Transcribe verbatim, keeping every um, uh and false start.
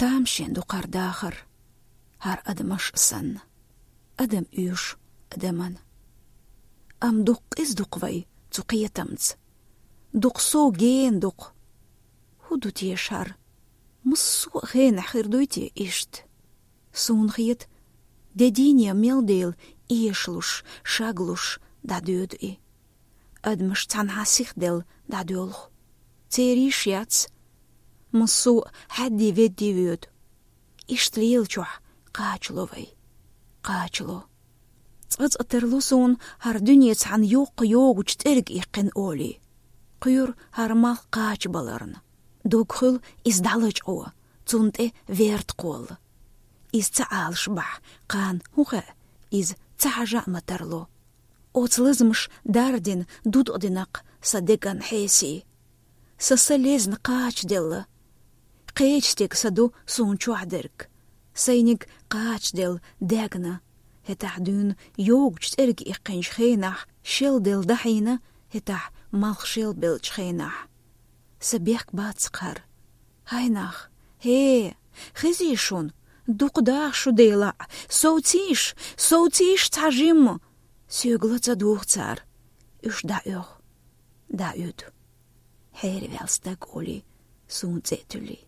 Тамашийна ду хӀара дахар, хӀара адамаш санна. Адам уьш адаман. Амма дукха къиза ду-кх вай цу кхетамца. Дукха сов гена ду-кх. ХӀун ду теша хӀара? Массо а хенахь хир дуй те иштта? Суна хета, де дийне мел дела, эшалуш, шаглуш дӀадоьду и. Адамаш цхьанхьа сиха делла дӀадоьлху. Церан йиш яц. Массо а хьаьдди-ведди воьду. Иштта лелачохь кхачало вай. Кхачало. Цкъа-цкъа тарло суна хӀара дуьне цхьана йоккха йогучу цӀерга иккхина олий. Кхоьру хӀара малх кхачабаларна. Дог хуьлу иза дӀалачкъо, цунна тӀе верта кхолла. Иза ца Ӏалаш бахьа, кхана хӀун хаьа, иза ца хьажа а ма тарло. Оцу лазамаша дардина, дудкъадина-кх сан деган хьесий. Сан са лезна кхачаделла. Кхечу стеган са ду суна чохь дерг. Сайниг кхачаделла, даьгна. ХӀетахь дуьйна йогучу цӀерга иккхинчу хенахь шел делла дахьийна, хӀетахь малх шел беллачу хенахь. Сан бехк бац-кх хӀара. ХӀай нах, хӀе, хезий шуна, дукха даха шу делахь, совцийша, совцийша цхьа жимма. Соьга ла ца дугӀу цара. Уьш дӀаоьху, дӀаоьду. Хьераваьлла стаг олий, суна цӀе а туьллий.